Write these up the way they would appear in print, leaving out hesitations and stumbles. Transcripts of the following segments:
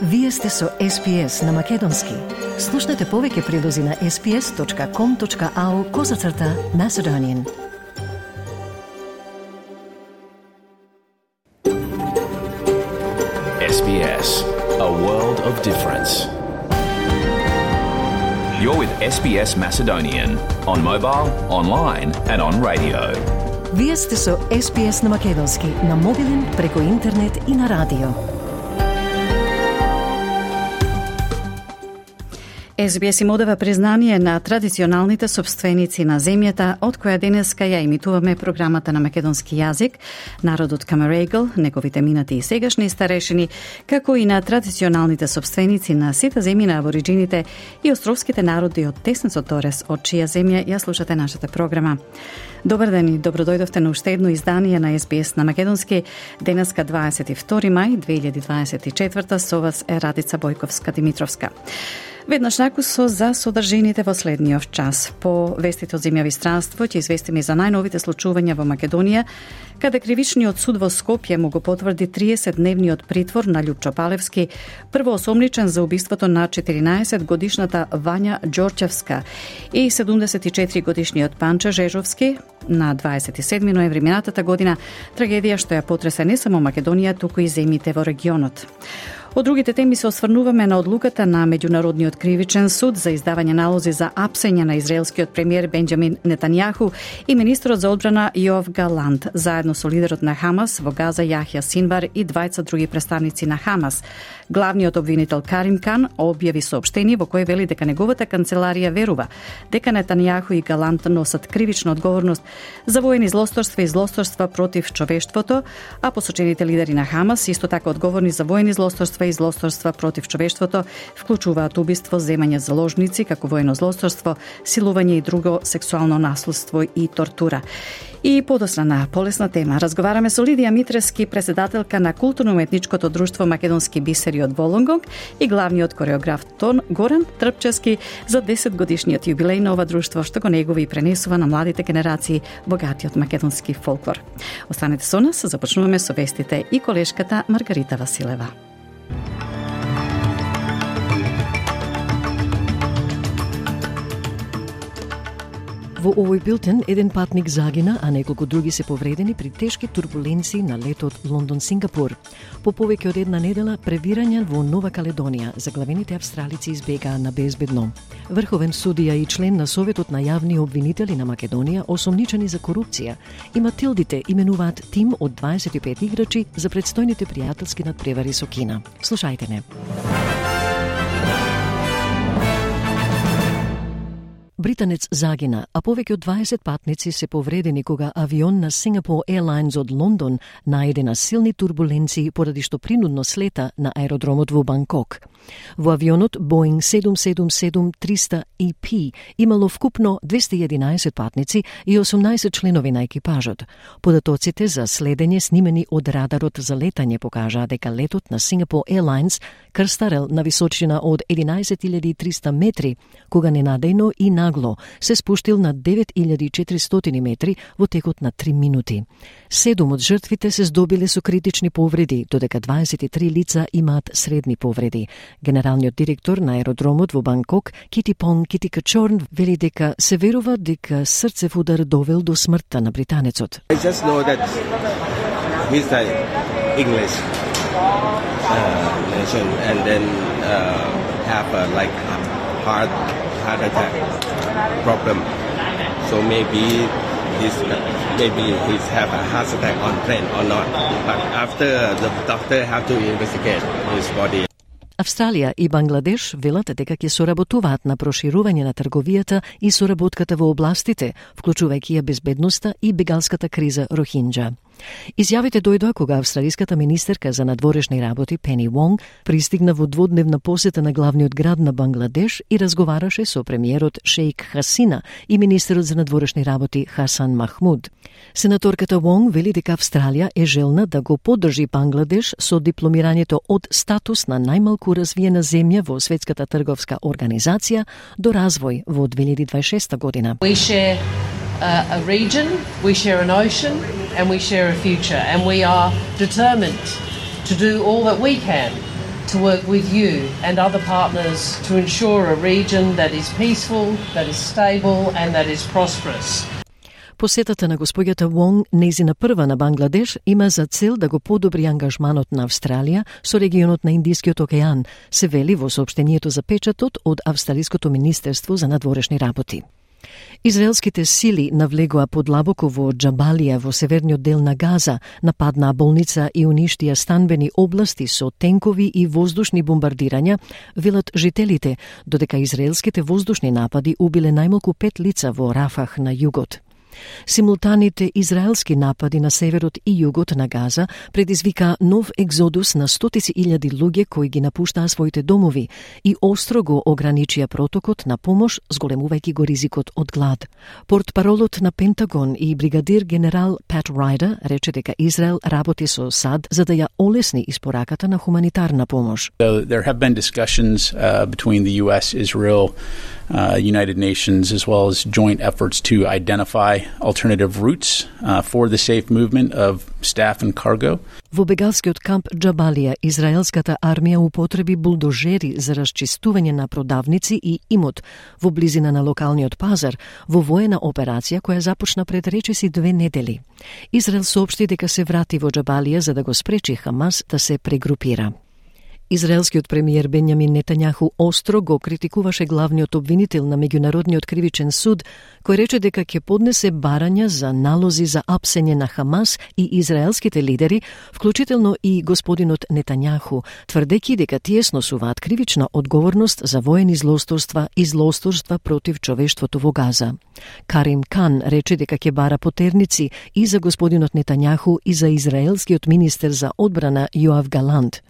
Вие сте со SPS на Македонски. Слушнете повеќе прилози на sps.com.au/Macedonian. SBS, a world of difference. You're with SBS Macedonian on mobile, online and on radio. Вие сте со SPS на Македонски на мобилен, преку интернет и на радио. SBS им одава признание на традиционалните собственици на земјата, од која денеска ја имитуваме програмата на македонски јазик, народот Камерегл, неговите минати и сегашни старешини, како и на традиционалните собственици на сите земји на абориджините и островските народи од Теснецот Торес, од чија земја ја слушате нашата програма. Добар ден и добродојдовте на уште едно издание на SBS на Македонски. Денеска 22 мај 2024, со вас е Радица Бојковска-Димитровска. Веднаш накусо за содржините во следниот час. По вестите од земјави странство ќе известиме за најновите случувања во Македонија, каде кривичниот суд во Скопје му го потврди 30-дневниот притвор на Љупчо Палевски, првоосомничен за убиството на 14-годишната Вања Ѓорчевска и 74-годишниот Панче Жежовски на 27 ноември минатата година, трагедија што ја потресе не само Македонија, туку и земјите во регионот. Од другите теми се осврнуваме на одлуката на Меѓународниот кривичен суд за издавање налози за апсење на израелскиот премиер Бенџамин Нетањаху и министрот за одбрана Јоав Галант, заедно со лидерот на Хамас во Газа Јахја Синвар и двајца други представници на Хамас. Главниот обвинител Карим Кан објави соопштение во кое вели дека неговата канцеларија верува дека Нетањаху и Галант носат кривична одговорност за воени злосторства и злосторства против човештвото, а посочените лидери на Хамас исто така одговорни за воени злосторства и злосторства против човештвото, вклучуваат убиство, земање заложници како воено злосторство, силување и друго сексуално наследство и тортура. И подосна на полесна тема, разговараме со Лидија Митрески, председателка на културно-уметничкото друштво Македонски бисери од Волонгонг и главниот кореограф Горан Трпчевски за 10-годишниот јубилеј на ова друштво, што го негува и пренесува на младите генерации богатиот македонски фолклор. Останете со нас, започнуваме со вестите и колешката Маргарита Василева. Во овој билтен, еден патник загина, а неколку други се повредени при тешки турбуленции на летот Лондон-Сингапур. По повеќе од една недела, превирања во Нова Каледонија, заглавените австралици избегаа на безбедно. Врховен судија и член на Советот на јавни обвинители на Македонија, осомничени за корупција, и Матилдите именуваат тим од 25 играчи за предстојните пријателски надпревари со Кина. Слушајте не. Британец загина, а повеќе од 20 патници се повредени кога авион на Singapore Airlines од Лондон најде на силни турбуленции поради што принудно слета на аеродромот во Банкок. Во авионот Boeing 777-300 EP имало вкупно 211 патници и 18 членови на екипажот. Податоците за следење снимени од радарот за летање покажаа дека летот на Singapore Airlines крстарел на височина од 11.300 метри, кога ненадејно и нагло се спуштил на 9.400 метри во текот на 3 минути. 7 од жртвите се здобиле со критични повреди, додека 23 лица имаат средни повреди. Генералниот директор на аеродромот во Банкок, Kitipong Kitikachorn, вели дека се верува дека срцев удар довел до смртта на британецот. I just know that he's like English nation and then have a like heart attack problem. So maybe he's have a heart attack on plane or not. But after the doctor have to investigate his body. Австралија и Бангладеш велат дека ќе соработуваат на проширување на трговијата и соработката во областите, вклучувајќи ја безбедноста и бегалската криза Рохинџа. Изјавите дојдоа кога австралиската министерка за надворешни работи Пени Вонг пристигна во дводневна посета на главниот град на Бангладеш и разговараше со премиерот Шејк Хасина и министерот за надворешни работи Хасан Махмуд. Сенаторката Вонг вели дека Австралија е желна да го поддржи Бангладеш со дипломирањето од статус на најмалку развиена земја во Светската трговска организација до развој во 2026 година. We share a region, we share an ocean, and we share a future, and we are determined to do all that we can to work with you and other partners to ensure a region that is peaceful, that is stable and that is prosperous. Посетата на господјата Вонг, нејзина прва на Бангладеш, има за цел да го подобри ангажманот на Австралија со регионот на Индискиот океан, се вели во соопштението за печатот од Австралиското министерство за надворешни работи. Израелските сили навлегоа подлабоко во Џабалија во северниот дел на Газа, нападнаа болница и уништија станбени области со тенкови и воздушни бомбардирања, велат жителите, додека израелските воздушни напади убиле најмалку 5 лица во Рафах на југот. Симултаните израелски напади на северот и југот на Газа предизвика нов екзодус на стотици илјади луѓе кои ги напуштаа своите домови и остро го ограничија протокот на помош, зголемувајќи го ризикот од глад. Портпаролот на Пентагон и бригадир генерал Пат Райдер рече дека Израел работи со САД за да ја олесни испораката на хуманитарна помош. There have been discussions between the US, Israel, United Nations, as well as joint efforts to identify alternative routes for the safe movement of staff and cargo. Во бегалскиот камп Џабалија, израелската армија употреби булдожери за расчистување на продавници и имот во близина на локалниот пазар во воена операција која започна пред речиси 2 недели. Израел соопшти дека се врати во Џабалија за да го спречи Хамас да се прегрупира. Израелскиот премиер Бенјамин Нетањаху остро го критикуваше главниот обвинител на Меѓународниот кривичен суд, кој рече дека ќе поднесе барања за налози за апсење на Хамас и израелските лидери, вклучително и господинот Нетањаху, тврдејќи дека тие сносуваат кривична одговорност за воени злосторства и злосторства против човештвото во Газа. Карим Кан рече дека ќе бара потерници и за господинот Нетањаху и за израелскиот министер за одбрана Јоав Галант.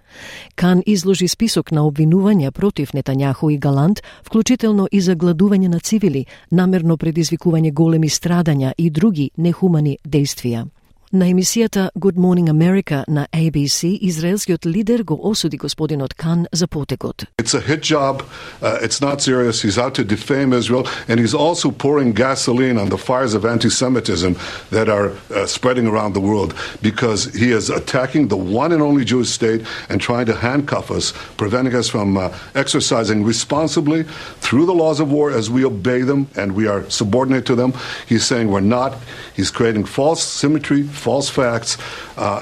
Кан изложи список на обвинувања против Нетањаху и Галант, вклучително и за гладување на цивили, намерно предизвикување големи страдања и други нехумани дејствија. На емисијата Good Morning America на ABC, израелскиот лидер го осуди господинот Кан за потекот. It's a hit job. It's not serious. He's out to defame Israel, and he's also pouring gasoline on the fires of anti-Semitism that are spreading around the world because he is attacking the one and only Jewish state and trying to handcuff us, preventing us from exercising responsibly through the laws of war as we obey them and we are subordinate to them. He's saying we're not. He's creating false symmetry, false facts,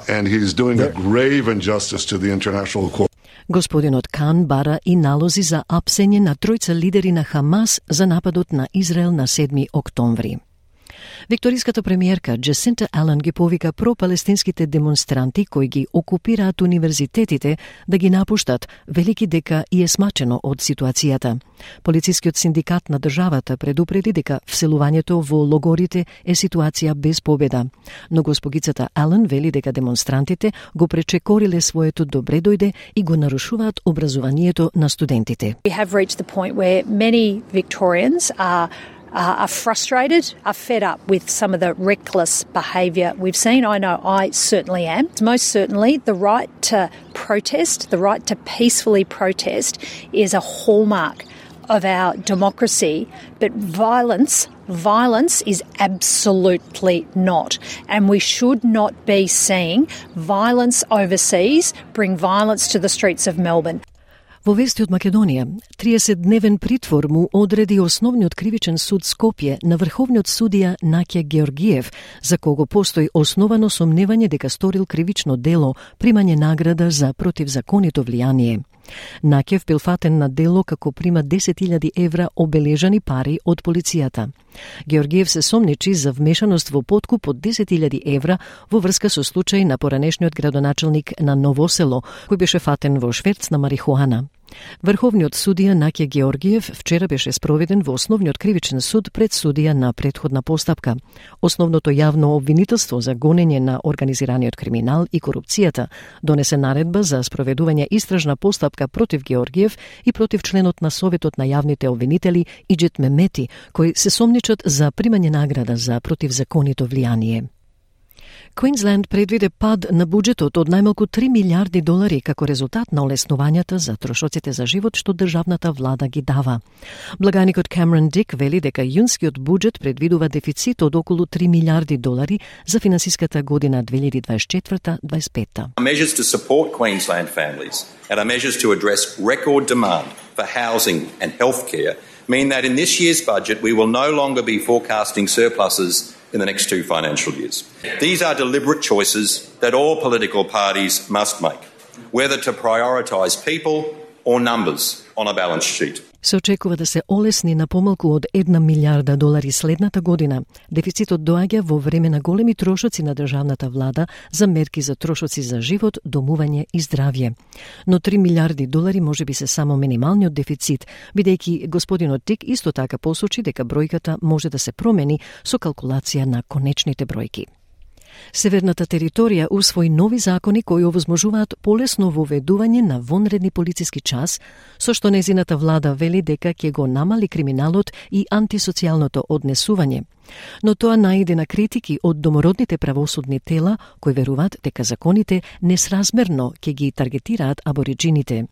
and he's doing a grave injustice to the international court. Господинот Кан бара и налози за апсење на тројца лидери на Хамас за нападот на Израел на 7 октомври. Викториската премиерка Джесинта Ален ги повика пропалестинските демонстранти кои ги окупираат универзитетите да ги напуштат, велики дека и е смачено од ситуацијата. Полицискиот синдикат на државата предупреди дека вселувањето во логорите е ситуација без победа. Но госпогицата Ален вели дека демонстрантите го пречекориле своето добре дојде и го нарушуваат образованието на студентите. We have reached the point where many Victorians are frustrated, are fed up with some of the reckless behaviour we've seen. I know I certainly am. Most certainly, the right to protest, the right to peacefully protest is a hallmark of our democracy, but violence is absolutely not. And we should not be seeing violence overseas bring violence to the streets of Melbourne. Во вести од Македонија, 30-дневен притвор му одреди Основниот кривичен суд Скопје на врховниот судија Наќе Георгиев, за кого постои основано сомневање дека сторил кривично дело, примање награда за противзаконито влијание. Накев бил фатен на дело како прима 10.000 евра обележани пари од полицијата. Георгиев се сомничи за вмешаност во подкуп од 10.000 евра во врска со случај на поранешниот градоначелник на Ново село, кој беше фатен во шверц на марихуана. Врховниот судија Наќе Георгиев вчера беше спроведен во Основниот кривичен суд пред судија на претходна постапка. Основното јавно обвинителство за гонење на организираниот криминал и корупцијата донесе наредба за спроведување истражна постапка против Георгиев и против членот на Советот на јавните обвинители Иџет Мемети, кои се сомничат за примање награда за противзаконито влијание. Queensland предвиде пад на буџетот од најмалку $3 милиарди како резултат на олеснувањата за трошоците за живот што државната влада ги дава. Благаникот Камерон Дик вели дека јунскиот буџет предвидува дефицит од околу $3 милиарди за финансиската година 2024-25. Measures to support Queensland families and our measures to address record demand for housing and healthcare mean that in this year's budget we will no longer be forecasting surpluses in the next 2 financial years. These are deliberate choices that all political parties must make, whether to prioritise people or numbers on a balance sheet. Се очекува да се олесни на помалку од $1 милиарда следната година. Дефицитот доаѓа во време на големи трошоци на државната влада за мерки за трошоци за живот, домување и здравје. Но $3 милиарди можеби се само минималниот дефицит, бидејќи господинот Тик исто така посочи дека бројката може да се промени со калкулација на конечните бројки. Северната територија усвои нови закони кои овозможуваат полесно воведување на вонредни полициски час, со што незината влада вели дека ќе го намали криминалот и антисоцијалното однесување. Но тоа наиде на критики од домородните правосудни тела кои веруваат дека законите несразмерно ќе ги таргетираат абориджините.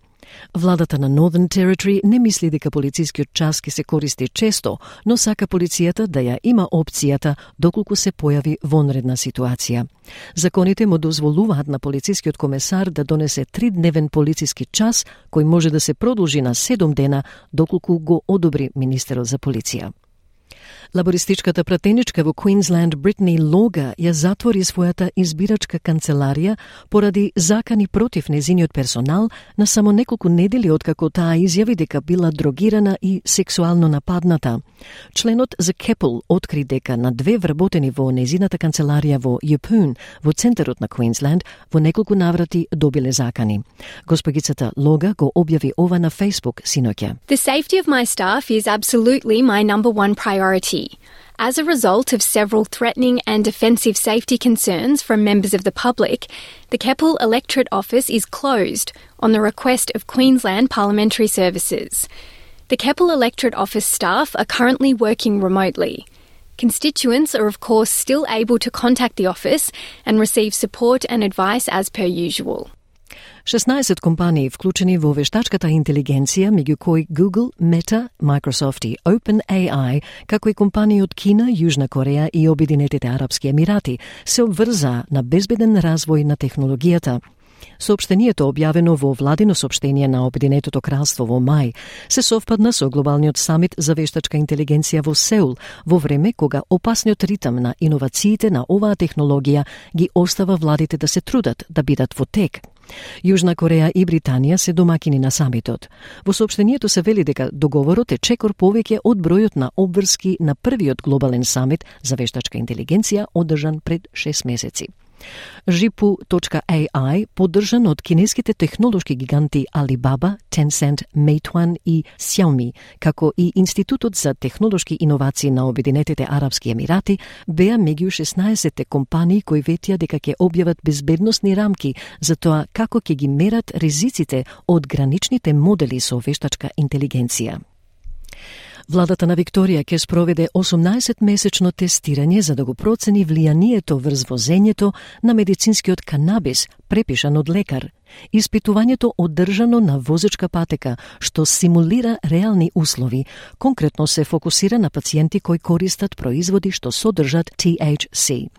Владата на Northern Territory не мисли дека полицискиот час ќе се користи често, но сака полицијата да ја има опцијата доколку се појави вонредна ситуација. Законите му дозволуваат на полицискиот комесар да донесе 3-дневен полициски час, кој може да се продолжи на 7 дена доколку го одобри министерот за полиција. Лабористичката пратеничка во Квинсленд Бритни Лога ја затвори својата избирачка канцеларија поради закани против незиниот персонал на само неколку недели откако таа изјави дека била дрогирана и сексуално нападната. Членот за Keppel откри дека на 2 вработени во незината канцеларија во Yeppoon, во центарот на Квинсленд, во неколку наврати добиле закани. Госпогицата Лога го објави ова на Facebook синоќа. The safety of my staff is absolutely my number one priority. As a result of several threatening and offensive safety concerns from members of the public, the Keppel Electorate Office is closed on the request of Queensland Parliamentary Services. The Keppel Electorate Office staff are currently working remotely. Constituents are of course still able to contact the office and receive support and advice as per usual. 16 компании вклучени во вештачката интелигенција, меѓу кои Google, Meta, Microsoft и OpenAI, како и компании од Кина, Јужна Кореја и Обединетите Арапски Емирати, се обврзаа на безбеден развој на технологијата. Соопштението, објавено во владино соопштение на Обединетото кралство во мај, се совпадна со глобалниот самит за вештачка интелигенција во Сеул, во време кога опасниот ритм на иновациите на оваа технологија ги остава владите да се трудат да бидат во тек. Јужна Кореја и Британија се домакини на самитот. Во соопштението се вели дека договорот е чекор повеќе од бројот на обврски на првиот глобален самит за вештачка интелигенција одржан пред 6 месеци. Jipu.ai, поддржан од кинеските технолошки гиганти Alibaba, Tencent, Meituan и Xiaomi, како и Институтот за технолошки иновации на Обединетите Арапски Емирати, беа меѓу 16 компании кои ветија дека ќе објават безбедносни рамки за тоа како ќе ги мерат ризиците од граничните модели со вештачка интелигенција. Владата на Викторија ќе спроведе 18-месечно тестирање за да го процени влијанието врз возењето на медицинскиот канабис, препишан од лекар. Испитувањето одржано на возечка патека, што симулира реални услови, конкретно се фокусира на пациенти кои користат производи што содржат THC.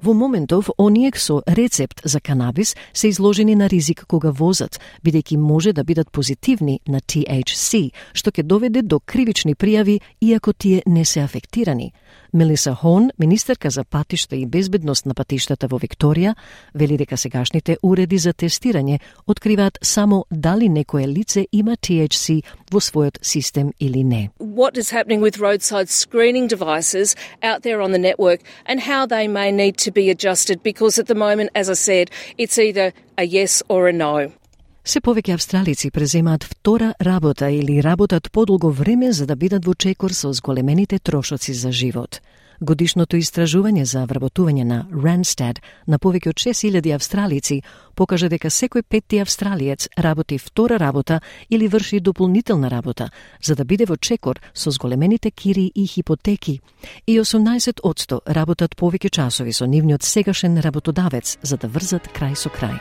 Во моментов, оние со рецепт за канабис се изложени на ризик кога возат, бидејќи може да бидат позитивни на THC, што ќе доведе до кривични пријави, иако тие не се афектирани. Мелиса Хон, министерка за патишта и безбедност на патиштата во Викторија, вели дека сегашните уреди за тестирање откриваат само дали некое лице има THC во својот систем или не. What is happening with roadside screening devices out there on the network and how they may need to be adjusted, because at the moment, as I said, it's either a yes or a no. Се повеќе австралици преземаат втора работа или работат подолго време за да бидат во чекор со зголемените трошоци за живот. Годишното истражување за вработување на Randstad на повеќе од 6000 австралици покажа дека секој петти австралиец работи втора работа или врши дополнителна работа, за да биде во чекор со зголемените кири и хипотеки. И 18% работат повеќе часови со нивниот сегашен работодавец, за да врзат крај со крај.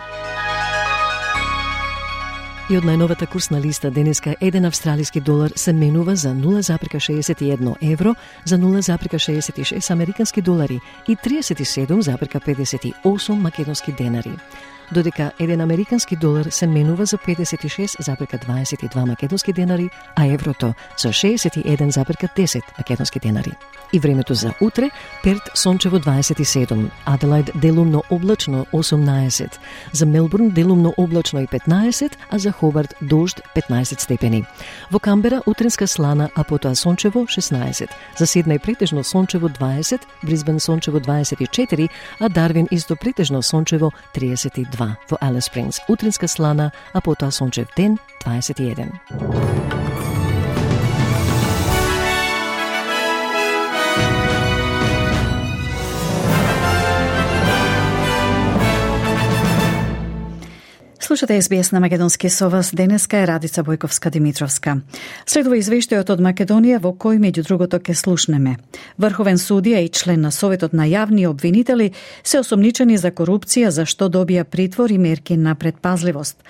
И од најновата курсна листа денеска 1 австралиски долар се менува за 0,61 евро, за 0,66 американски долари и 37,58 македонски денари. Додека 1 американски долар се менува за 56,22 македонски денари, а еврото за 61,10 македонски денари. И времето за утре: Перт сончево 27, Аделаид делумно облачно 18, за Мелбурн делумно облачно и 15, а за Хобарт дожд 15 степени. Во Камбера утринска слана, а потоа сончево 16, за Сиднеј претежно сончево 20, Брисбен сончево 24, а Дарвин исто претежно сончево 32. Во Алис Спрингс утринска слана, а потоа сончев ден 21. Слушате СБС на Македонски со вас. Денеска е Радица Бојковска-Димитровска. Следува извештајот од Македонија во кој меѓу другото ке слушнеме. Врховен судија и член на Советот на јавни обвинители се осомничени за корупција, за што добија притвор и мерки на предпазливост.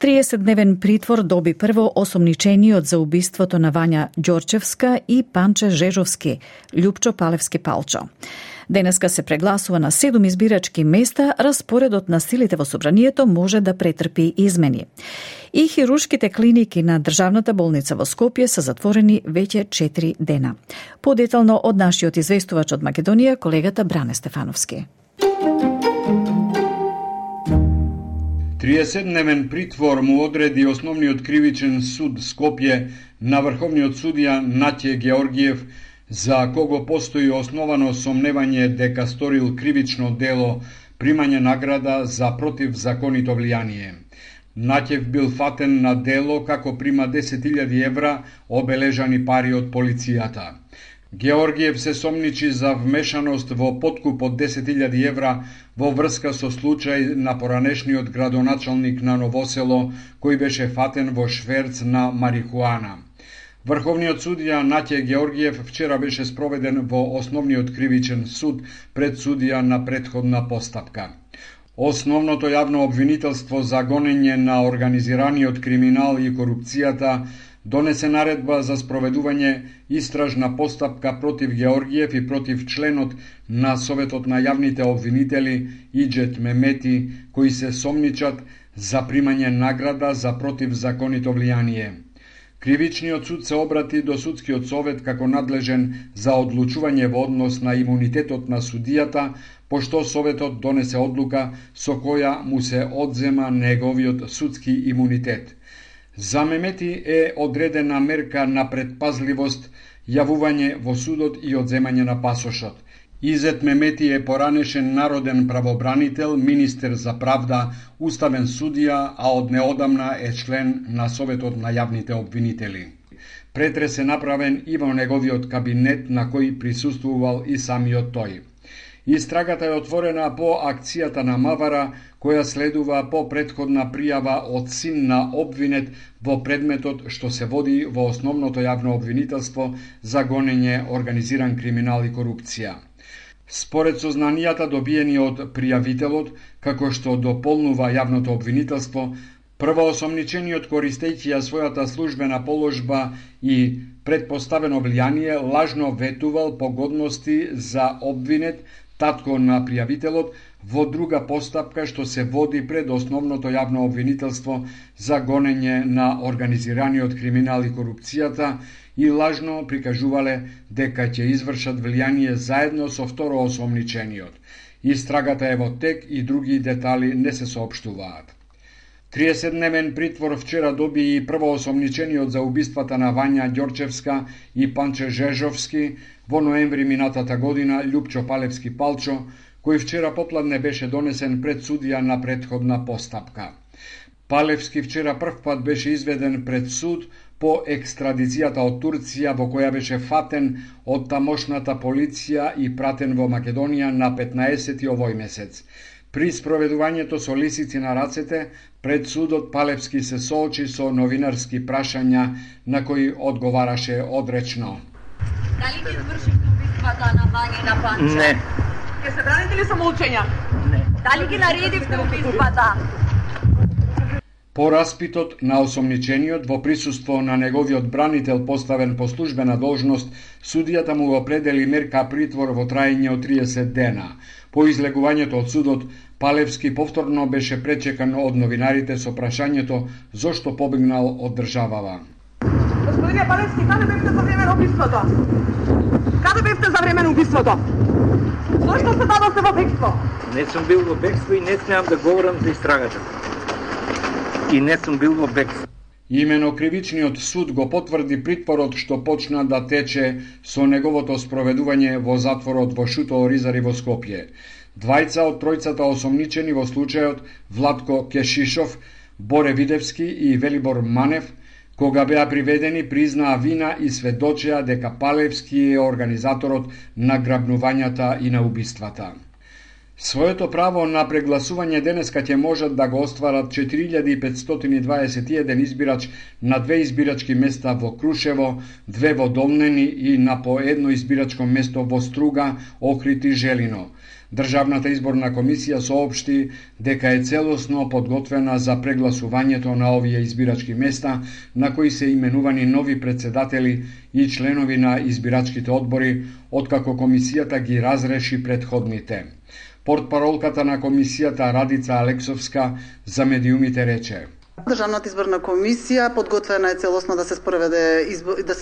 30-дневен притвор доби прво осомничениот за убиството на Вања Ѓорчевска и Панче Жежовски, Љупчо Палевски Палчо. Денеска се прегласува на 7 избирачки места, распоредот на силите во собранието може да претрпи измени. И хируршките клиники на Државната болница во Скопје се затворени веќе 4 дена. Подетално од нашиот известувач од Македонија, колегата Бране Стефановски. 30-дневен притвор му одреди Основниот кривичен суд Скопје на врховниот судија Наќе Георгиев, за кого постои основано сомневање дека сторил кривично дело примање награда за противзаконито влијание. Наќев бил фатен на дело како прима 10.000 евра обележани пари од полицијата. Георгиев се сомничи за вмешаност во подкуп од 10.000 евра во врска со случај на поранешниот градоначалник на Новосело, кој беше фатен во шверц на марихуана. Врховниот судија Наќе Георгиев вчера беше спроведен во Основниот кривичен суд пред судија на претходна постапка. Основното јавно обвинителство за гонење на организираниот криминал и корупцијата донесе наредба за спроведување истражна постапка против Георгиев и против членот на Советот на јавните обвинители Иџет Мемети, кои се сомничат за примање награда за противзаконито влијание. Кривичниот суд се обрати до судскиот совет како надлежен за одлучување во однос на имунитетот на судијата, пошто советот донесе одлука со која му се одзема неговиот судски имунитет. За Мемети е одредена мерка на предпазливост, јавување во судот и одземање на пасошот. Изет Мемети е поранешен народен правобранител, министер за правда, уставен судија, а од неодамна е член на Советот на јавните обвинители. Претрес е направен и во неговиот кабинет, на кој присуствувал и самиот тој. Истрагата е отворена по акцијата на Мавара, која следува по претходна пријава од син на обвинет во предметот што се води во Основното јавно обвинителство за гонење, организиран криминал и корупција. Според сознанијата добиени од пријавителот, како што дополнува јавното обвинителство, првоосомничениот користејќи ја својата службена положба и предпоставено влијание лажно ветувал погодности за обвинет, татко на пријавителот, во друга постапка што се води пред Основното јавно обвинителство за гонење на организираниот криминал и корупцијата, и лажно прикажувале дека ќе извршат влијание заедно со второосомничениот. Истрагата е во тек и други детали не се соопштуваат. 30-дневен притвор вчера доби и првоосомничениот за убиствата на Вања Ѓорчевска и Панче Жежовски во ноември минатата година, Љупчо Палевски Палчо, кој вчера попладне беше донесен пред судија на претходна постапка. Палевски вчера прв пат беше изведен пред суд по екстрадицијата од Турција, во која беше фатен од тамошната полиција и пратен во Македонија на 15 овој месец. При спроведувањето со лисици на рацете, пред судот Палевски се соочи со новинарски прашања на кои одговараше одречно. Дали ги извршивте убиствата на Вања и на Панча? Не. Ке се браните ли самоучења? Не. Дали ги наредивте убиствата? По распитот на осомничениот во присуство на неговиот бранител поставен по службена должност, судијата му определи мерка притвор во траење од 30 дена. По излегувањето од судот, Палевски повторно беше пречекан од новинарите со прашањето зошто побегнал од државава. Господине Палевски, каде бевте за време на убиството? Каде бевте за време на убиството? Зошто се дадовте во бегство? Не сум бил во бегство и не смеам да говорам за истрагата. И не сум бил во бегство. Имено кривичниот суд го потврди притворот што почна да тече со неговото спроведување во затворот во Шуто Оризари во Скопје. Двајца од тројцата осомничени во случајот, Владко Кешишов, Боре Видевски и Велибор Манев, кога беа приведени, признаа вина и сведочеа дека Палевски е организаторот на грабнувањата и на убиствата. Своето право на прегласување денеска ќе можат да го остварат 4521 избирач на 2 избирачки места во Крушево, 2 во Долнени и на по едно избирачко место во Струга, Охрид и Желино. Државната изборна комисија соопшти дека е целосно подготвена за прегласувањето на овие избирачки места, на кои се именувани нови председатели и членови на избирачките одбори, откако комисијата ги разреши предходните. Портпаролката на комисијата Радица Алексовска за медиумите рече: Државната изборна комисија подготвена е целосно да се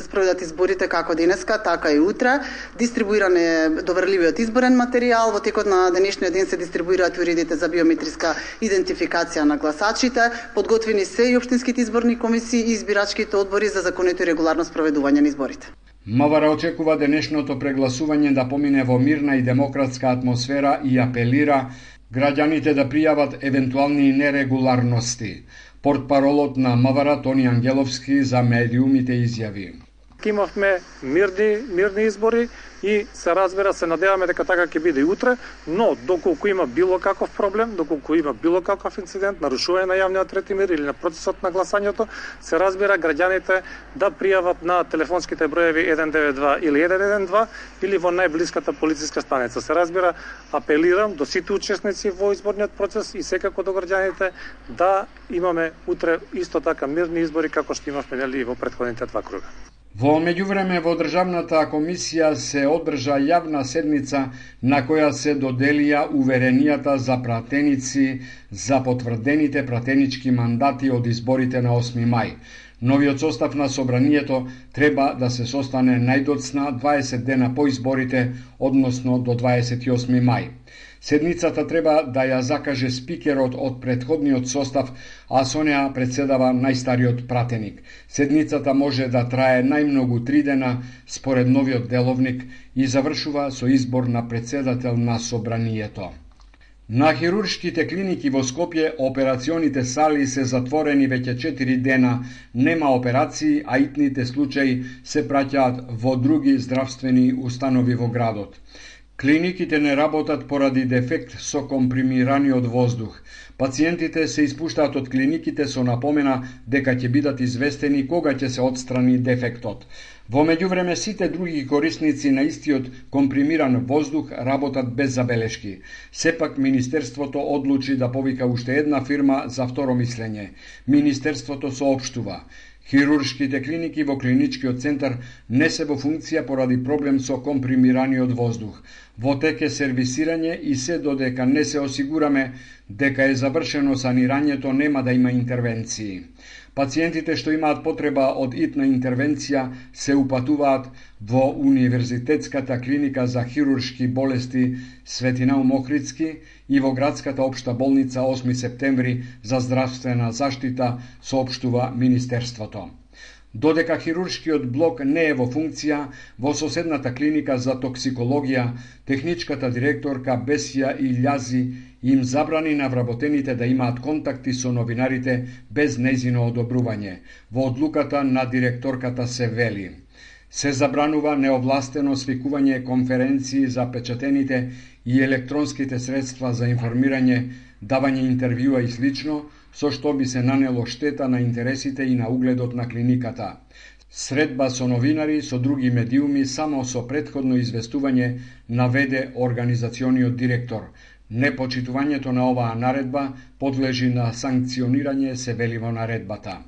спроведат изборите како денеска, така и утре. Дистрибуиран е доверливиот изборен материјал. Во текот на денешниот ден се дистрибуираат уредите за биометриска идентификација на гласачите. Подготвени се и општинските изборни комисии и избирачките одбори за законито и регуларно спроведување на изборите. МВР очекува денешното прегласување да помине во мирна и демократска атмосфера и апелира граѓаните да пријават евентуални нерегуларности. Портпаролот на МВР Тони Ангеловски за медиумите изјави: Имавме мирни избори и се разбира, се надеваме дека така ќе биде и утре, но доколку има било каков проблем, доколку има било каков инцидент, нарушување на јавниот ред и мир или на процесот на гласањето, се разбира граѓаните да пријават на телефонските броеви 192 или 112 или во најблиската полициска станица. Се разбира, апелирам до сите учесници во изборниот процес и секако до граѓаните да имаме утре исто така мирни избори како што имавме нели во претходните два круга. Во меѓувреме во Државната комисија се одржа јавна седница на која се доделија уверенијата за пратеници за потврдените пратенички мандати од изборите на 8 мај. Новиот состав на собранието треба да се состане најдоцна 20 дена по изборите, односно до 28 мај. Седницата треба да ја закаже спикерот од претходниот состав, а со неа председава најстариот пратеник. Седницата може да трае најмногу 3 дена според новиот деловник и завршува со избор на председател на собранието. На хируршките клиники во Скопје операционите сали се затворени веќе 4 дена, нема операции, а итните случаи се праќаат во други здравствени установи во градот. Клиниките не работат поради дефект со компримираниот воздух. Пациентите се испуштаат од клиниките со напомена дека ќе бидат известени кога ќе се отстрани дефектот. Во меѓувреме сите други корисници на истиот компримиран воздух работат без забелешки. Сепак Министерството одлучи да повика уште една фирма за второ мислење. Министерството соопштува: хируршките клиники во клиничкиот центар не се во функција поради проблем со компримираниот воздух. Во тек е сервисирање и се додека не се осигураме дека е завршено санирањето, нема да има интервенции. Пациентите што имаат потреба од итна интервенција се упатуваат во Универзитетската клиника за хируршки болести Свети Наум Охридски и во градската општа болница 8 септември за здравствена заштита, соопштува Министерството. Додека хируршкиот блок не е во функција, во соседната клиника за токсикологија, техничката директорка Бесија Илјази им забрани на вработените да имаат контакти со новинарите без нејзино одобрување. Во одлуката на директорката се вели: се забранува неовластено свикување конференции за печатените и електронските средства за информирање, давање интервјуа и слично, со што би се нанело штета на интересите и на угледот на клиниката. Средба со новинари, со други медиуми, само со претходно известување, наведе организациониот директор. Непочитувањето на оваа наредба подлежи на санкционирање, се вели во наредбата.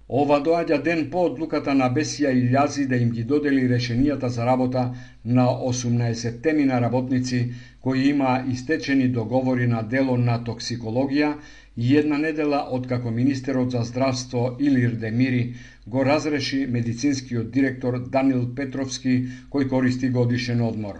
Ова доаѓа ден по одлуката на Бесија Илјази да им ги додели решенијата за работа на 18 работници кои има истечени договори на дело на токсикологија и една недела откако министерот за здравство Илир Демири го разреши медицинскиот директор Данил Петровски, кој користи годишен одмор.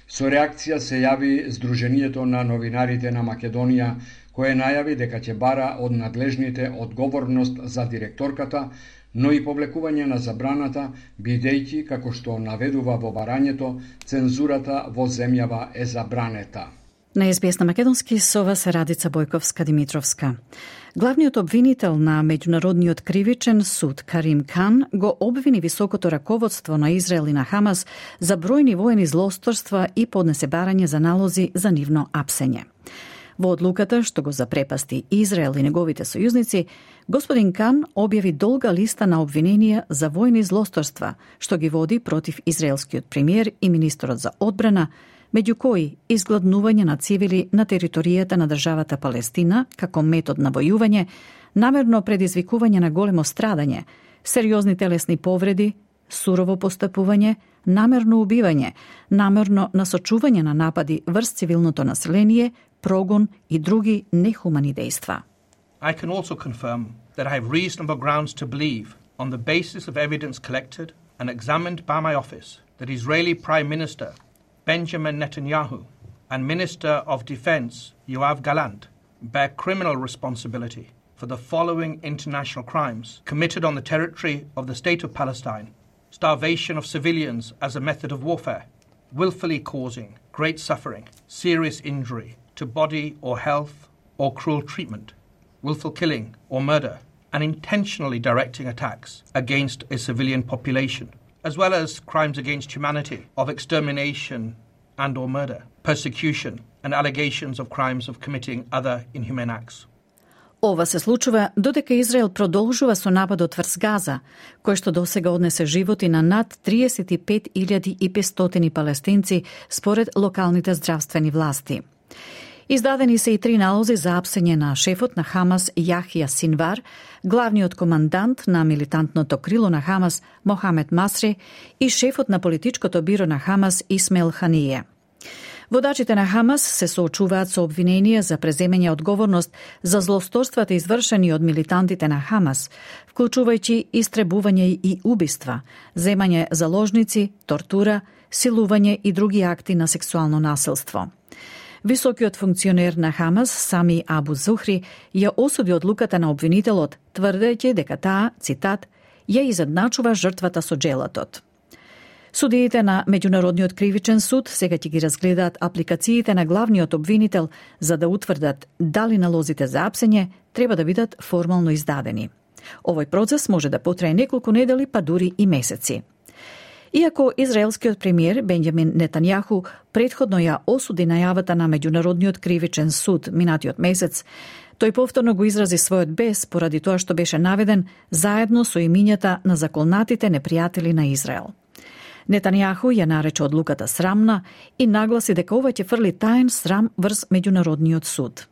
Со реакција се јави Сдруженијето на новинарите на Македонија, кое најави дека ќе бара од надлежните одговорност за директорката, но и повлекување на забраната, бидејќи, како што наведува во барањето, цензурата во земјава е забранета. На СБС на македонски со вас Радица Бојковска-Димитровска. Главниот обвинител на Меѓународниот кривичен суд Карим Кан го обвини високото раководство на Израел и на Хамас за бројни воени злосторства и поднесе барање за налози за нивно апсење. Во одлуката што го запрепасти Израел и неговите сојузници, господин Кан објави долга листа на обвиненија за војни злосторства, што ги води против израелскиот премиер и министерот за одбрана, меѓу кои изгладнување на цивили на територијата на државата Палестина како метод на војување, намерно предизвикување на големо страдање, сериозни телесни повреди, сурово постапување, намерно убивање, намерно насочување на напади врз цивилното население, прогон и други нехумани дејства. I can also confirm that I have reasonable grounds to believe, on the basis of evidence collected and examined by my office, that Israeli Prime Minister Benjamin Netanyahu and Minister of Defense Yoav Gallant bear criminal responsibility for the following international crimes committed on the territory of the State of Palestine: starvation of civilians as a method of warfare, willfully causing great suffering, serious injury to body or health or cruel treatment, willful killing or murder, and intentionally directing attacks against a civilian population, as well as crimes against humanity of extermination and or murder, persecution, and allegations of crimes of committing other inhumane acts. Ова се случува додека Израел продолжува со нападот врз Газа, кој што досега однесе животи на над 35.500 палестинци според локалните здравствени власти. Издадени се и 3 налози за апсење на шефот на Хамас Јахија Синвар, главниот командант на милитантното крило на Хамас Мохамед Масри и шефот на политичкото биро на Хамас Исмаил Ханије. Водачите на Хамас се соочуваат со обвиненија за преземање одговорност за злосторствата извршени од милитантите на Хамас, вклучувајќи истребување и убиства, земање заложници, тортура, силување и други акти на сексуално насилство. Високиот функционер на Хамас, Сами Абу Зухри, ја осуди одлуката на обвинителот, тврдејќи дека таа, цитат, ја изедначува жртвата со джелатот. Судиите на Меѓународниот кривичен суд сега ќе ги разгледаат апликациите на главниот обвинител за да утврдат дали налозите за апсење треба да бидат формално издадени. Овој процес може да потрае неколку недели, па дури и месеци. Иако израелскиот премиер Бенџамин Нетањаху претходно ја осуди најавата на Меѓународниот кривичен суд минатиот месец, тој повторно го изрази својот бес поради тоа што беше наведен заедно со имињата на заколнатите непријатели на Израел. Нетањаху ја нарече одлуката срамна и нагласи дека ова ќе фрли таен срам врз Меѓународниот суд.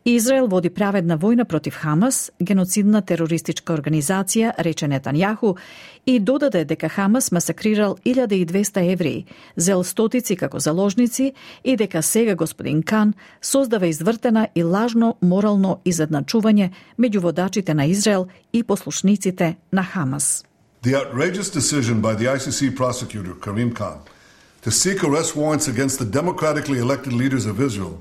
Израел води праведна војна против Хамас, геноцидна терористичка организација, рече Нетањаху, и додаде дека Хамас масакрирал 1200 евреи, зел стотици како заложници и дека сега господин Кан создава извртена и лажно морално изедначување меѓу водачите на Израел и послушниците на Хамас. The outrageous decision by the ICC prosecutor, Karim Khan, to seek arrest warrants against the democratically elected leaders of Israel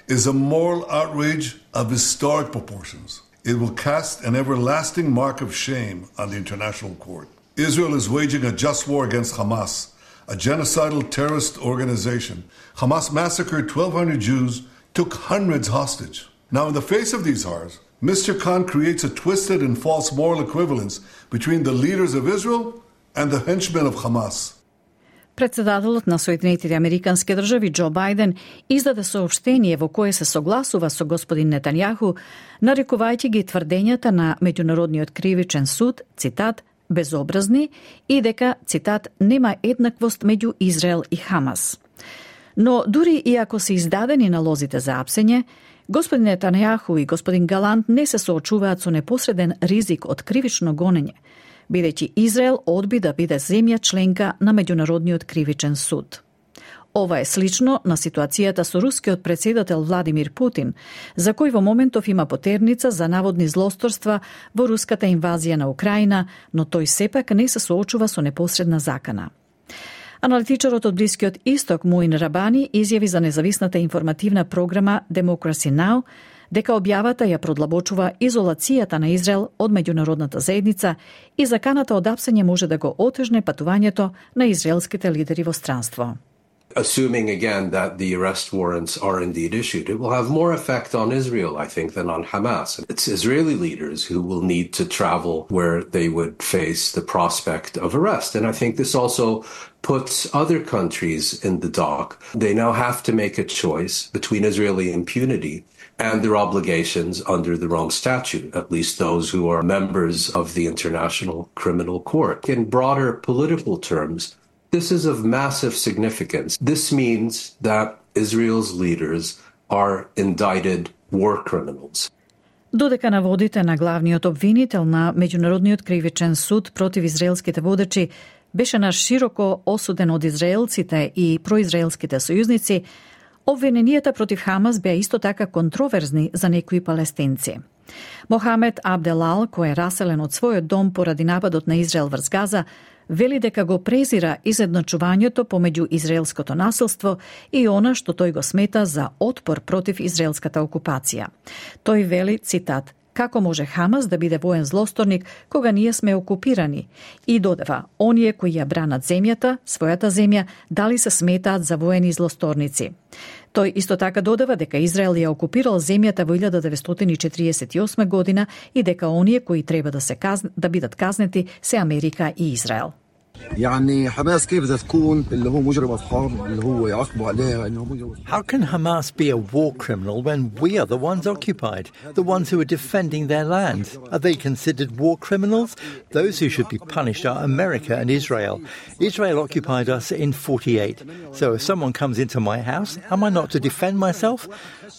is a moral outrage of historic proportions. It will cast an everlasting mark of shame on the international court. Israel is waging a just war against Hamas, a genocidal terrorist organization. Hamas massacred 1,200 Jews, took hundreds hostage. Now, in the face of these horrors, Mr. Khan creates a twisted and false moral equivalence between the leaders of Israel and the henchmen of Hamas. Председателот на Соединетите Американски држави Џо Бајден издаде соопштение во кое се согласува со господин Нетањаху, нарекувајќи ги тврдењата на Меѓународниот кривичен суд, цитат, безобразни и дека, цитат, нема еднаквост меѓу Израел и Хамас. Но дури и ако се издадени налозите за апсење, господин Нетањаху и господин Галант не се соочуваат со непосреден ризик од кривично гонење, бидејќи Израел одби да биде земја членка на Меѓународниот кривичен суд. Ова е слично на ситуацијата со рускиот председател Владимир Путин, за кој во моментов има потерница за наводни злосторства во руската инвазија на Украина, но тој сепак не се соочува со непосредна закана. Аналитичарот од Блискиот Исток Муин Рабани изјави за независната информативна програма Democracy Now! Дека објавата ја продлабочува изолацијата на Израел од меѓународната заедница и заканата од апсење може да го отежне патувањето на израелските лидери во странство. Assuming again that the arrest warrants are indeed issued, it will have more effect on Israel, I think, than on Hamas. It's Israeli leaders who will need to travel where they would face the prospect of arrest. And I think this also puts other countries in the dock. They now have to make a choice between Israeli impunity and their obligations under the Rome Statute, at least those who are members of the International Criminal Court. In broader political terms, this is of massive significance. This means that Israel's leaders are indicted war criminals. Додека наводите на главниот обвинител на Меѓународниот кривичен суд против израелските водачи беше на широко осуден од израелците и произраелските сојузници, обвиненијата против Хамас беа исто така контроверзни за некои палестинци. Мохамед Абделал, кој е раселен од својот дом поради нападот на Израел врз Газа, вели дека го презира изедначувањето помеѓу израелското насилство и она што тој го смета за отпор против израелската окупација. Тој вели, цитат, како може Хамас да биде воен злосторник кога ние сме окупирани? И додава, оние кои ја бранат земјата, својата земја, дали се сметаат за воени злосторници? Тој исто така додава дека Израел ја окупирал земјата во 1948 година и дека оние кои треба да бидат казнети се Америка и Израел. يعني حماس كيف بدها تكون اللي هو مجرم حرب اللي هو يعاقبوا عليها انه مجرم. How can Hamas be a war criminal when we are the ones occupied, the ones who are defending their land? Are they considered war criminals? Those who should be punished are America and Israel. Israel occupied us in 48. So if someone comes into my house, am I not to defend myself?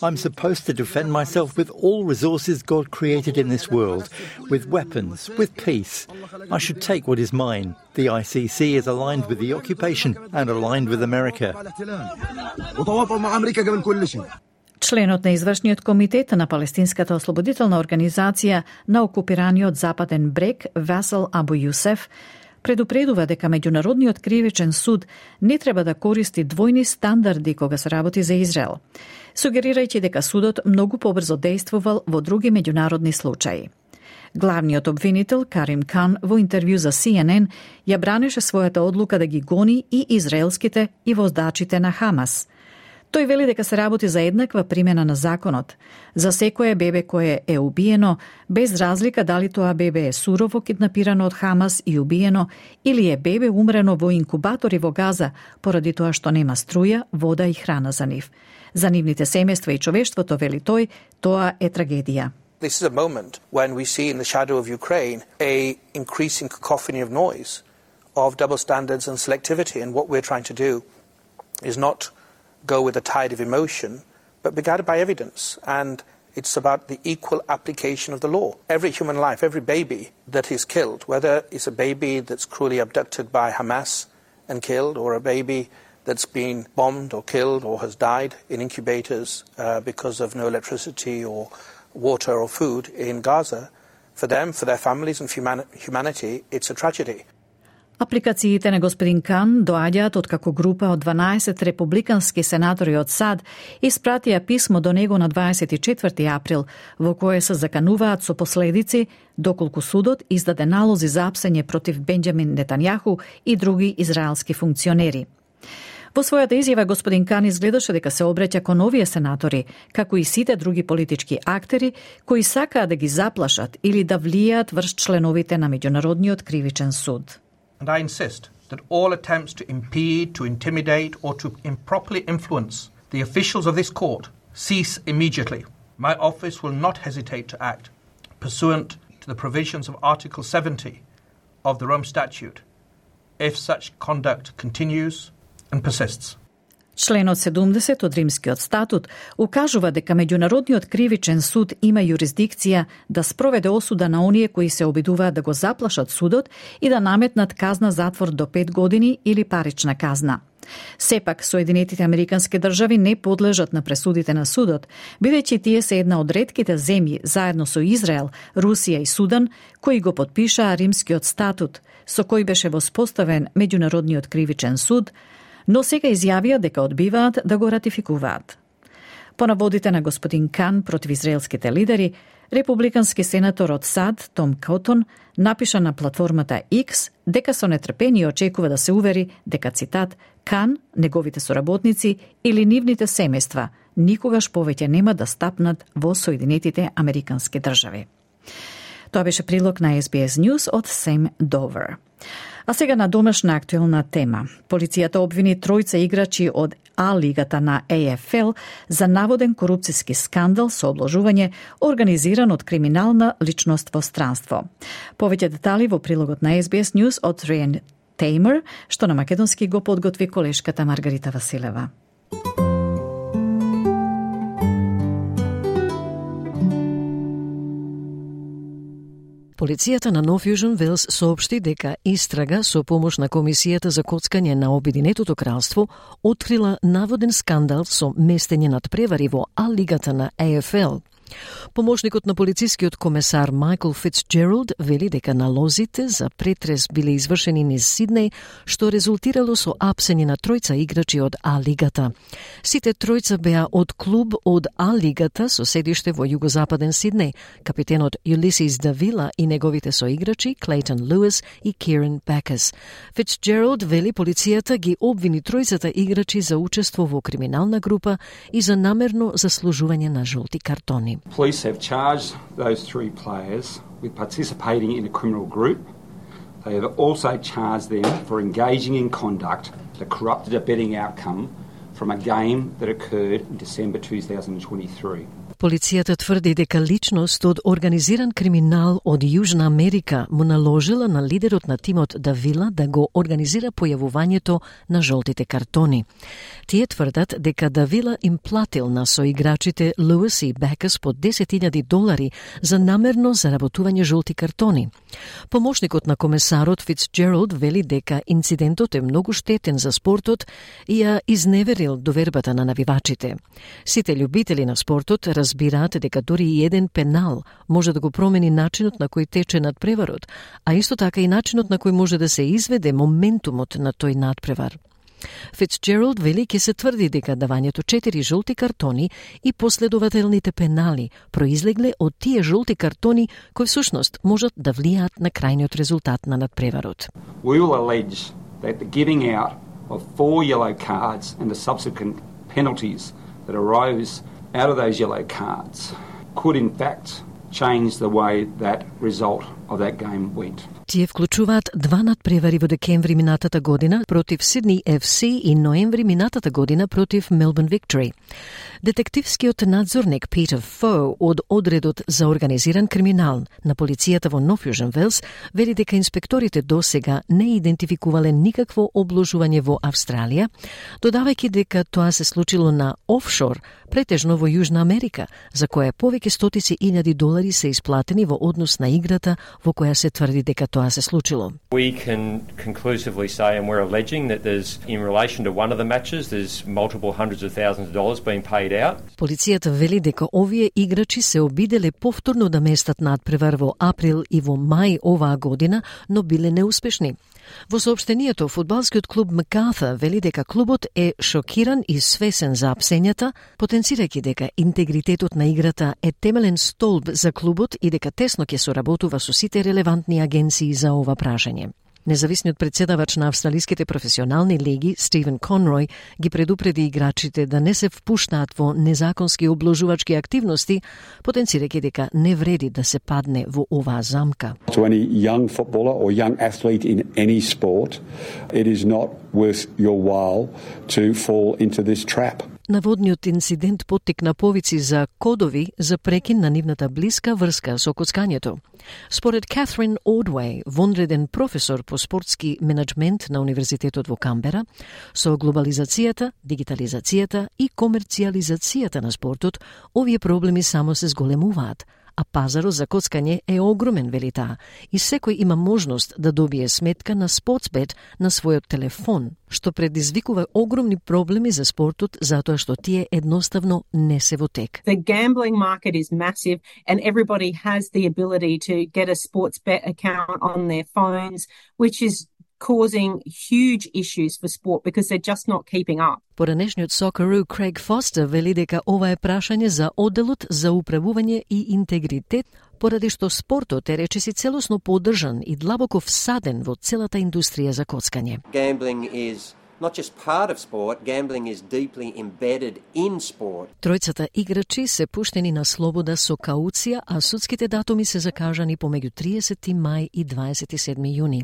I'm supposed to defend myself with all resources God created in this world, with weapons, with peace. I should take what is mine. The ICC is aligned with the occupation and aligned with America. Членот на извршниот комитет на Палестинската ослободителна организација на окупираниот Западен брег Васел Абу Јусеф предупредува дека Меѓународниот кривичен суд не треба да користи двојни стандарди кога се работи за Израел, сугерирајќи дека судот многу побрзо действувал во други меѓународни случаи. Главниот обвинител Карим Кан во интервју за CNN ја бранеше својата одлука да ги гони и израелските и воздачите на Хамас. Тој вели дека се работи за еднаква примена на законот, за секое бебе кое е убиено, без разлика дали тоа бебе е сурово киднапирано од Хамас и убиено, или е бебе умрено во инкубатори во Газа, поради тоа што нема струја, вода и храна за нив. За нивните семејства и човештвото, вели тој, тоа е трагедија. This is a moment when we see in the shadow of Ukraine a increasing cacophony of noise, of double standards and selectivity. And what we're trying to do is not go with a tide of emotion, but be guided by evidence. And it's about the equal application of the law. Every human life, every baby that is killed, whether it's a baby that's cruelly abducted by Hamas and killed, or a baby that's been bombed or killed or has died in incubators because of no electricity or water or food in Gaza, for them, for their families and for humanity, it's a tragedy. Апликациите на господин Кан доаѓаат откако група од 12 републикански сенатори од САД испратија писмо до него на 24 април, во кое се закануваат со последици доколку судот издаде налози за апсење против Бенџамин Нетањаху и други израелски функционери. Во својата изјава господин Кан изгледаше дека се обраќа кон овие сенатори, како и сите други политички актери кои сакаат да ги заплашат или да влијаат врз членовите на Меѓународниот кривичен суд. And I insist that all attempts to impede, to intimidate, or to improperly influence the officials of this court cease immediately. My office will not hesitate to act pursuant to the provisions of Article 70 of the Rome Statute if such conduct continues and persists. Членот 70 од Римскиот статут укажува дека Меѓународниот кривичен суд има юрисдикција да спроведе осуда на оние кои се обидуваат да го заплашат судот и да наметнат казна затвор до 5 години или парична казна. Сепак, Соединетите Американски држави не подлежат на пресудите на судот, бидејќи тие се една од ретките земји, заедно со Израел, Русија и Судан, кои го потпишаа Римскиот статут, со кој беше воспоставен Меѓународниот кривичен суд, но сега изјавија дека одбиваат да го ратификуваат. По наводите на господин Кан против израелските лидери, републикански сенатор од САД Том Котон напиша на платформата X дека со нетрпение очекува да се увери дека, цитат, Кан, неговите соработници или нивните семејства никогаш повеќе нема да стапнат во Соединетите Американски држави. Тоа беше прилог на SBS News од Сем Довер. А сега на домашна актуелна тема. Полицијата обвини тројца играчи од А-лигата на AFL за наводен корупцијски скандал со обложување организиран од криминална личност во странство. Повеќе детали во прилогот на SBS News од Риен Теймер, што на македонски го подготви колешката Маргарита Василева. Полицијата на Нов Јужен Велс соопшти дека истрага со помош на Комисијата за коцкање на Обединетото кралство открила наводен скандал со местење над превари во А-лигата на AFL. Помошникот на полицискиот комесар Майкл Фицджералд вели дека налозите за претрес биле извршени низ Сиднеј, што резултирало со апсење на тројца играчи од А-лигата. Сите тројца беа од клуб од А-лигата со седиште во југозападен Сиднеј, капитенот Улисис Давила и неговите соиграчи Клейтон Луис и Кирен Бакас. Фицджералд вели полицијата ги обвини тројцата играчи за учество во криминална група и за намерно заслужување на жолти картони. Police have charged those three players with participating in a criminal group. They have also charged them for engaging in conduct that corrupted a betting outcome from a game that occurred in December 2023. Полицијата тврди дека личност од организиран криминал од Јужна Америка му наложила на лидерот на тимот Давила да го организира појавувањето на жолтите картони. Тие тврдат дека Давила им платил на соиграчите Луис и Бакас по $10,000 за намерно заработување жолти картони. Помошникот на комесарот Фицджералд вели дека инцидентот е многу штетен за спортот и ја изневерил довербата на навивачите. Сите љубители на спортот разбираат дека дури и еден пенал може да го промени начинот на кој тече надпреварот, а исто така и начинот на кој може да се изведе моментумот на тој надпревар. Фицджералд вели ке се тврди дека давањето 4 жолти картони и последователните пенали произлегле од тие жолти картони кои всушност можат да влијаат на крајниот резултат на надпреварот. We will allege that the giving out of 4 yellow cards and the subsequent penalties that arose out of those yellow cards could in fact change the way that result of that game went. Тие вклучуваат 2 надпревари во декември минатата година против Сидни FC и ноември минатата година против Мелбурн Виктори. Детективскиот надзорник Питер Фо од одредот за организиран криминал на полицијата во Нов Јужен Велс вели дека инспекторите досега не идентификувале никакво обложување во Австралија, додавајќи дека тоа се случило на офшор, претежно во Јужна Америка, за која повеќе стотици илјади долари се исплатени во однос на играта во која се тврди дека тоа тоа се случило. We can conclusively say, and we're alleging, that there's, in relation to one of the matches, there's multiple hundreds of thousands of dollars being paid out. Полицијата вели дека овие играчи се обиделе повторно да местат надпревар во април и во мај оваа година, но биле неуспешни. Во соопштението, фудбалскиот клуб Макарта вели дека клубот е шокиран и свесен за апсењата, потенцирајќи дека интегритетот на играта е темелен столб за клубот и дека тесно ќе соработува со сите релевантни агенции за ова прашање. Независниот председавач на австралиските професионални лиги, Стивен Конрој, ги предупреди играчите да не се впуштаат во незаконски обложувачки активности, потенцирајќи дека не вреди да се падне во оваа замка. To any young footballer or young athlete in any sport, it is not worth your while to fall into this trap. Наводниот инцидент поттикна повици за кодови за прекин на нивната блиска врска со коцкањето. Според Катрин Одвеј, вонреден професор по спортски менеджмент на Универзитетот во Камбера, со глобализацијата, дигитализацијата и комерцијализацијата на спортот, овие проблеми само се зголемуваат, а пазарот за коцкање е огромен, вели таа, и секој има можност да добие сметка на Sportsbet на својот телефон, што предизвикува огромни проблеми за спортот затоа што тие едноставно не се во тек. The gambling market is massive and everybody has the ability to get a Sportsbet account on their phones, which is causing huge issues for sport because they're just not keeping up. Поранешниот Socceroo Craig Foster вели дека ова е прашање за одделот за управување и интегритет, поради што спортот е речиси целосно поддржан и длабоко всаден во целата индустрија за коцкање. Gambling is not just part of sport, gambling is deeply embedded in sport. Тројцата играчи се пуштени на слобода со кауција, а судските датуми се закажани помеѓу 30 мај и 27 јуни.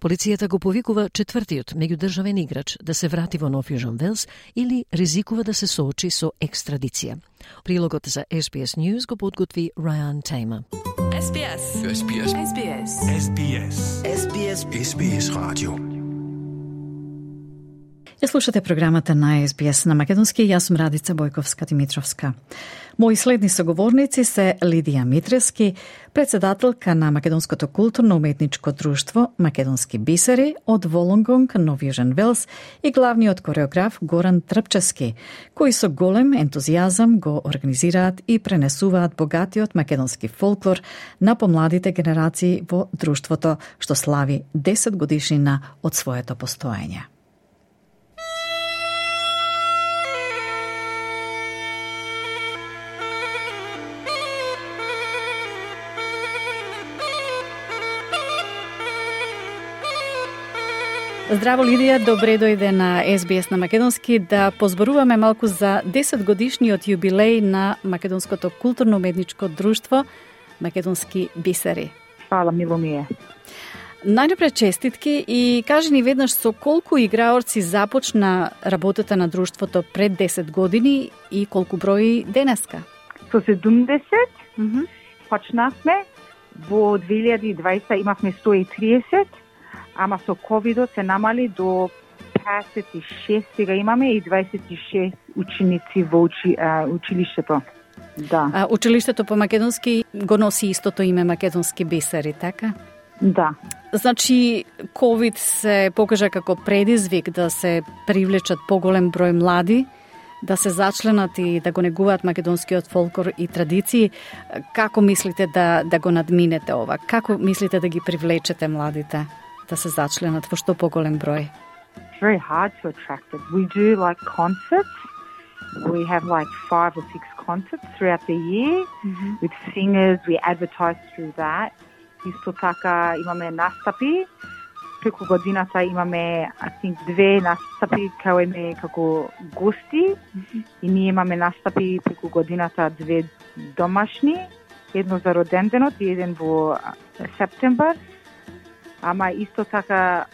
Полицијата го повикува четвртиот меѓудржавен играч да се врати во Нов Јужен Велс или ризикува да се соочи со екстрадиција. Прилогот за SBS News го подготви Ryan Tamer. SBS. SBS. SBS. SBS. SBS. SBS Radio. Ја слушате програмата на SBS на македонски, јас сум Радица Бојковска-Димитровска. Мои следни соговорници се Лидија Митрески, председателка на Македонското културно-уметничко друштво Македонски бисери од Волонгонг, Нов Јужен Велс и главниот кореограф Горан Трпчески, кои со голем ентузијазам го организираат и пренесуваат богатиот македонски фолклор на помладите генерации во друштвото, што слави 10 годишнина од своето постоење. Здраво, Лидија, добре дојде на SBS на македонски да позборуваме малку за 10 годишниот јубилеј на Македонското културно-уметничко друштво Македонски бисери. Фала, мило ми е. Најнапред честитки и кажи ни веднаш со колку играорци започна работата на друштвото пред 10 години и колку брои денеска? Со 70 почнавме, во 2020 имавме 130, ама со ковидот се намали до 56, сега имаме и 26 ученици во училиштето. Да. Училиштето по македонски го носи истото име Македонски бисери, така? Да. Значи, ковид се покажа како предизвик да се привлечат поголем број млади, да се зачленат и да го негуваат македонскиот фолклор и традиции. Како мислите да го надминете ова? Како мислите да ги привлечете младите да се зачленат во што поголем број? It's very hard to attract it. We do like concerts. We have like 5 or 6 concerts throughout the year with singers. We advertise through that. Исто така имаме настапи. Преку годината имаме, I think, 2 настапи кај име како гости. И ние имаме настапи преку годината 2 домашни. Едно за роденденот и еден во септембар. Ама исто така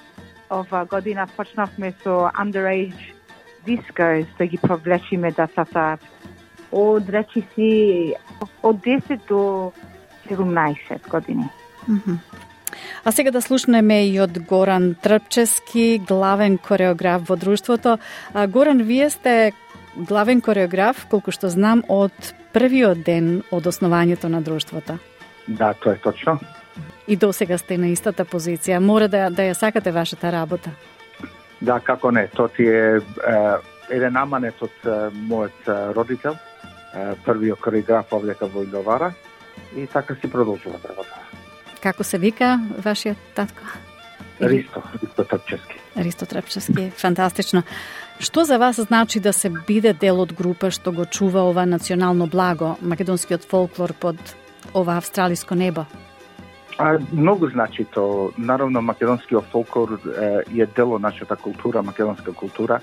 ова година почнавме со underage discos да ги повлечиме децата од речиси од 10 до 17 години. А сега да слушнеме и од Горан Трпчески, главен кореограф во друштвото. Горан, вие сте главен кореограф, колку што знам, од првиот ден од основањето на друштвото. Да, тоа е точно. и досега сте на истата позиција. Мора да ја сакате вашата работа. Да, како не. Тоа ти е еден аманет од мојот родител, првиот хореограф овдека во Иловара, и така си продолжува работа. Како се вика вашиот татко? Ристо Трпчевски. Ристо Трпчевски, фантастично. Што за вас значи да се биде дел од група што го чува ова национално благо, македонскиот фолклор под ова австралиско небо? Многу значи то. Наравно, македонскиот фолклор е дел од нашата култура, македонска култура,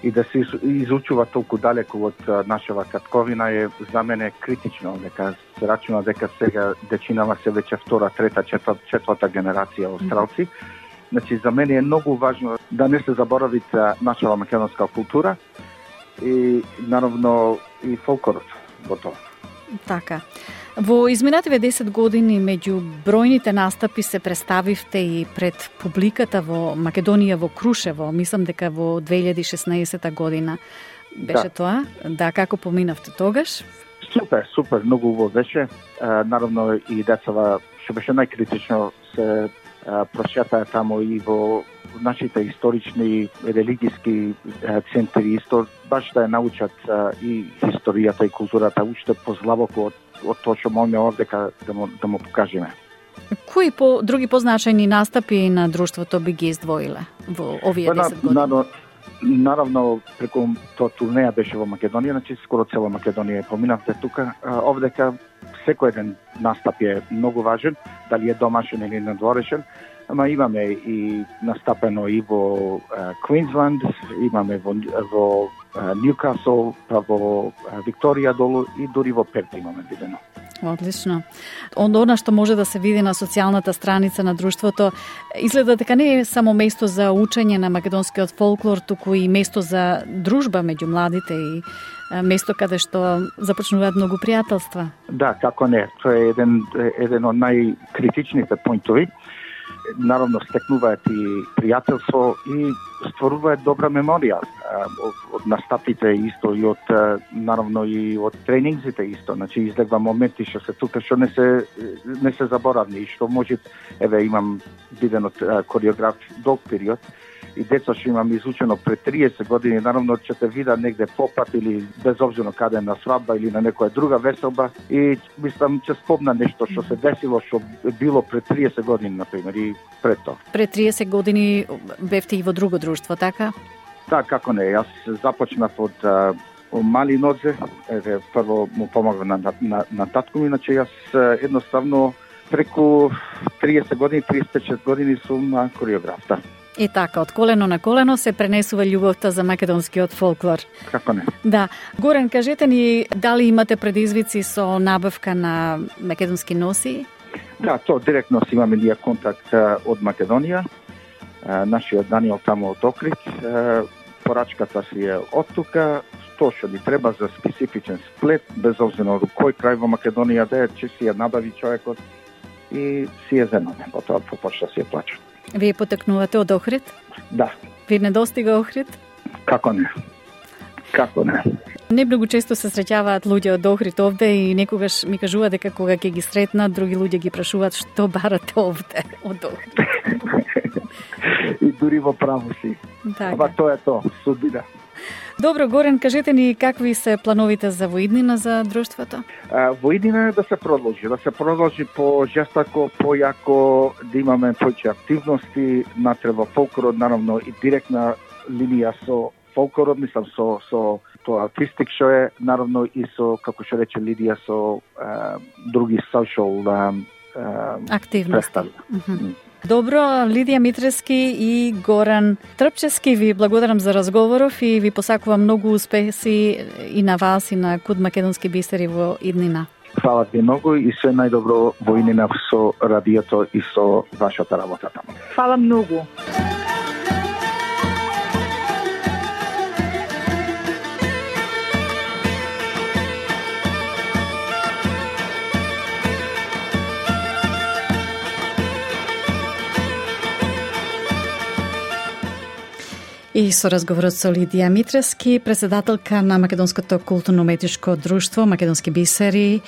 и да се изучува толку далеку од нашава татковина е за мене критично, дека се рачуна дека сега дечинава се веќе втора, трета, четврта генерација австралци. Значи, за мене е многу важно да не се заборави нашава македонска култура и, наравно, и фолклорот во тоа. Така. Во изминативе 10 години меѓу бројните настапи се представивте и пред публиката во Македонија во Крушево, мислам дека во 2016 година беше тоа. Да, како поминавте тогаш? Супер, многу убаво беше. Наравно и децава, што беше најкритично, се прошетаа тамо и во нашите исторични религиски центри, исто баш да ја научат и историјата и културата уште позлабоко од тоа што можеме овдека да му покажеме. Кои други позначајни настапи на друштвото би ги издвоиле во овие 10 години? Наравно, преку тоа турнеја беше во Македонија, значи скоро цела Македонија поминавте тука. Овдека секој еден настап е многу важен, дали е домашен или надворешен, ама имаме и настапено и во Квинсленд, имаме во Ньюкасл, па во Викторија долу и дури во Перт имаме видено. Одлично. Она што може да се види на социјалната страница на друштвото, изгледа дека не е само место за учење на македонскиот фолклор, туку и место за дружба меѓу младите и место каде што започнуваат многу пријателства. Да, како не. Тоа е еден од најкритичните поинтови. Наравно, стекнуваат и пријателство и стваруваат добра меморија од настапите исто и од наравно и од тренингзите исто. Значи излегва моменти што се тука што не се заборавни и што може имам виден од кореограф долг период и деца што имам изучено пред 30 години, наравно ќе те видат негде попат или безобзирно каде на свадба или на некоја друга веселба и мислам ќе спомна нешто што се десило што било пред 30 години, например, и пред тоа. Пред 30 години бевте и во друго друштво, така? Да, како не. Јас започнав од мали нозе, прво му помогна на татко ми, иначе јас едноставно преку 30 години, 35 години сум кореограф, да. И така, од колено на колено се пренесува љубовта за македонскиот фолклор. Како не? Да. Горан, кажете ни, дали имате предизвици со набавка на македонски носи? Да, тоа директно си имаме ние контакт од Македонија. Нашиот Даниел тамо од Охрид. Порачката си е од тука. Тоа што ни треба за специфичен сплет, без обзирно кој крај во Македонија да е, че си ја набави човекот и си ја земаме, потоа по почта си ја плача. Вие потекнувате од Охрид? Да. Ви не достига Охрид? Како не? Како не? Не многу често се среќаваат луѓе од Охрид овде и некогаш ми кажува дека кога ќе ги сретнат, други луѓе ги прашуваат што барате овде од Охрид. И дури во право си. Ама тоа е тоа, судбина. Добро, Горен, кажете ни какви се плановите за воиднина за друштвото? Воиднина е да се продолжи по-жестоко, појако, да имаме повеќе активности, натреба фолклорот, наравно и директна линија со фолклорот, мислам со тоа артистик што е, наравно и со, како што рече Лидија, со други social активности. Добро, Лидија Митрески и Горан Трпчевски, ви благодарам за разговоров и ви посакувам многу успеси и на вас и на Куд македонски бисери во иднина. Фала ви многу и се најдобро во иднина со радиото и со вашата работа таму. Фала многу. И со разговорот со Лидија Митрески, председателка на Македонското културно-уметничко друштво Македонски бисери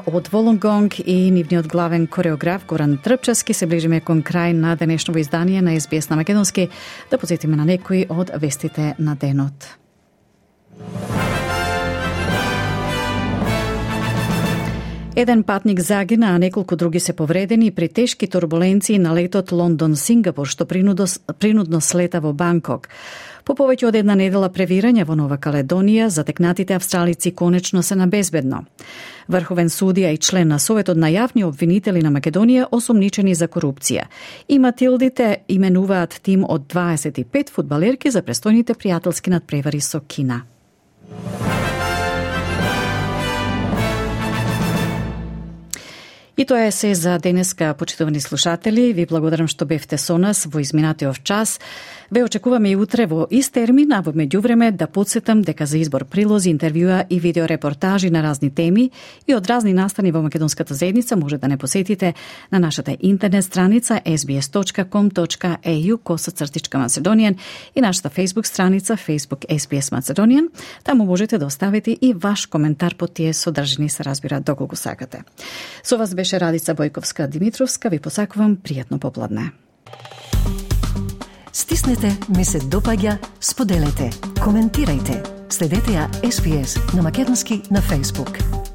од Волонгонг и нивниот главен кореограф Горан Трпчевски, се ближиме кон крај на денешното издание на SBS на Македонски. Да подсетиме на некои од вестите на денот. Еден патник загина, а неколку други се повредени при тешки турбуленции на летот Лондон-Сингапур, што принудно слета во Банкок. По повеќе од една недела превирање во Нова Каледонија, затекнатите австралици конечно се на безбедно. Врховен судија и член на Советот на јавни обвинители на Македонија осомничени за корупција. И Матилдите именуваат тим од 25 фудбалерки за престојните пријателски надпревари со Кина. И тоа е се за денеска, почитувани слушатели. Ви благодарам што бевте со нас во изминатиот час. Ве очекуваме и утре во ист термин, а во меѓувреме да подсетам дека за избор прилози, интервјуа и видеорепортажи на разни теми и од разни настани во македонската заедница може да не посетите на нашата интернет страница sbs.com.au/Macedonian и нашата Facebook страница Facebook SBS Macedonian. Таму можете да оставите и ваш коментар по тие содржини, се разбира доколку сакате. Со вас беше Радица Бојковска-Димитровска. Ви посакувам пријатно попладне. Стиснете, ми се допаѓа, споделете, коментирајте. Следете ја SBS на македонски на Facebook.